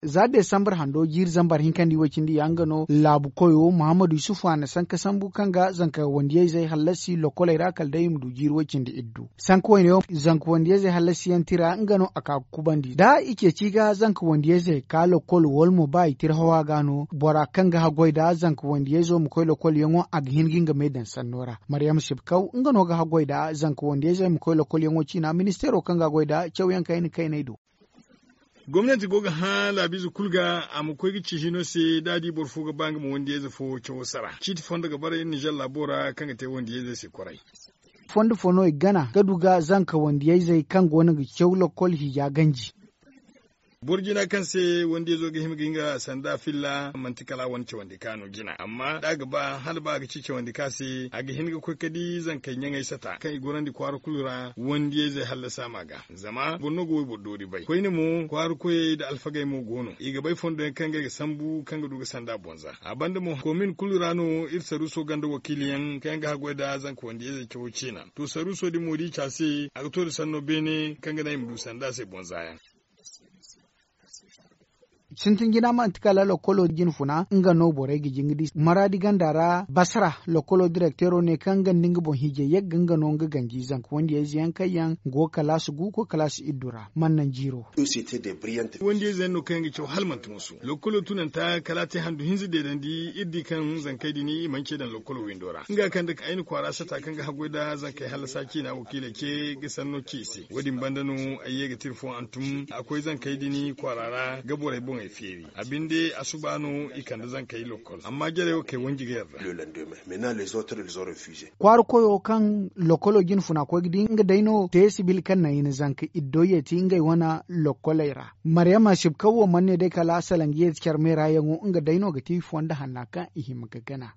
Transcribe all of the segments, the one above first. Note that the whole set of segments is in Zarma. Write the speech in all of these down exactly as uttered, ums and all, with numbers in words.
Za desambar hando jiiri zambar hinkandi way-cindi ya nga no laabu koyo muhammadu yusufu a na sanka sambu kaŋ ga zanka wandiyayzey hallasi lokoley ra kala day i ma du jiiri way-cindi iddu. Sanka wayne yaŋ zanka wandiyayzey hallasiyaŋ tira nga no a ka ga kubandi da i ceeci ga zanka wandiyayzey ka lokol wala mo ba i tira hawa ga no bora kaŋ ga haggoy nda zanka wandiyayzo ma koy lokolyaŋo a ga hin ga nga me daŋ sanno ra. Maryam sibkaw nga no ga haggoy nda zanka wandiyayzey ma koy lokolyaŋo ciina ministeero kaŋ ga a goy nda cawyaŋ kayna kayney do. Gomnanti go ga hã laabiize kulu ga a ma koy ga ci hino se da a di boro fo ga ba nga ma wandiyayze fo cawo sara ciiti fondo ga bara iri nizer laabo ra kaŋ ga te wandiyayzey se kwaray. Fondo fo no i ga gana ga du ga zanka wandiyayzey kaŋ go no ga caw lokol hija ganji. Boro jina kaŋ se wandiyayzo ga hima ga nga sanda filla manti kala a wane cawandi ka no jina amma da a ga ba hala ba a ga ci cawandi ka se a ga hin ga koy ga di zankey ɲaŋey sata kaŋ i gorandi kwaara kulu ra wandiyayzey hallasa ma ga. Zama boro no ga wayboro doori bay koyne mo kwaara koyey nda alfagey mo go no i ga bay fondo yaŋ kaŋ ga ay ga sambu kaŋ ga du ga sanda boŋ za a banda mo komin kulu ra no iri saruuso ganda wakiiliyaŋ kaŋ yaŋ ga haggoy nda zanka wandiyayzey cawo ciina. To saruuso din mo da i ci a se a ga to nda sanno beene kaŋ ga naŋ i ma du sanda se boŋ za yaŋ. Sintin jina manti kala lokolo jine funa nga no borey ga jin ga di maraadi ganda ra basara lokolo direkteero ne kaŋ nga nda nga boŋ hiijay yagga nga no nga ganji zanka wandiyayze yaŋ kaŋ yaŋ go ga kalaasi gu ga koy kalaasi iddu ra mana naŋ jiiro. Wandiyayze yaŋ no kaŋ yaŋ ga caw hala manti musu lokolo tunanta kala a te handu hinza deedandi iri di kaŋ zankey din i mana ce daŋ lokolo windo ra nga kaŋ da ay na kwaara sata kaŋ ga haggoy nda zankey hallasa ciina wakiiley ce ga sanno ci i se wo- din banda no ay ye ga tira fo hantum a koy zankey din kwaara ra ga borey boŋey feeri a binde a suba no i kande zankey lokol amma jarey wo kay wanji ga yarda. Kwaara koyo kaŋ lokolo jine funa koy ga di nga day no te sibil kaŋ naŋ i na zanka iddo yeeti ngey wane lokoley ra. Maryama sibkaw wo mana ne day kala a salaŋ ga yeeti care meera yaŋo nga day no ga ti fondo hanna kaŋ i hima ga gana.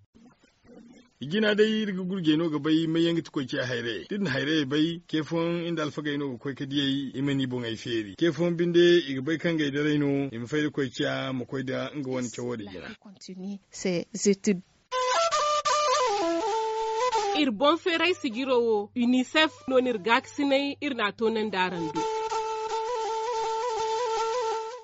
I jina day iri ga gurjey no ga bay may yaŋ ga ti koy ciya hayrayey da iri na hayrayey bay ce fooyaŋ nda alfagey no ga koy ga diyey i ma ni boŋey feeri ce fooyaŋ binde i ga bay kaŋ ngey daray no i ma fay da koy ciya ma koy nda nga wane cawo din jina. Iri boŋ feeray sijiro wo unicef no no iri gaakasinay iri n'a toonandi araŋ do.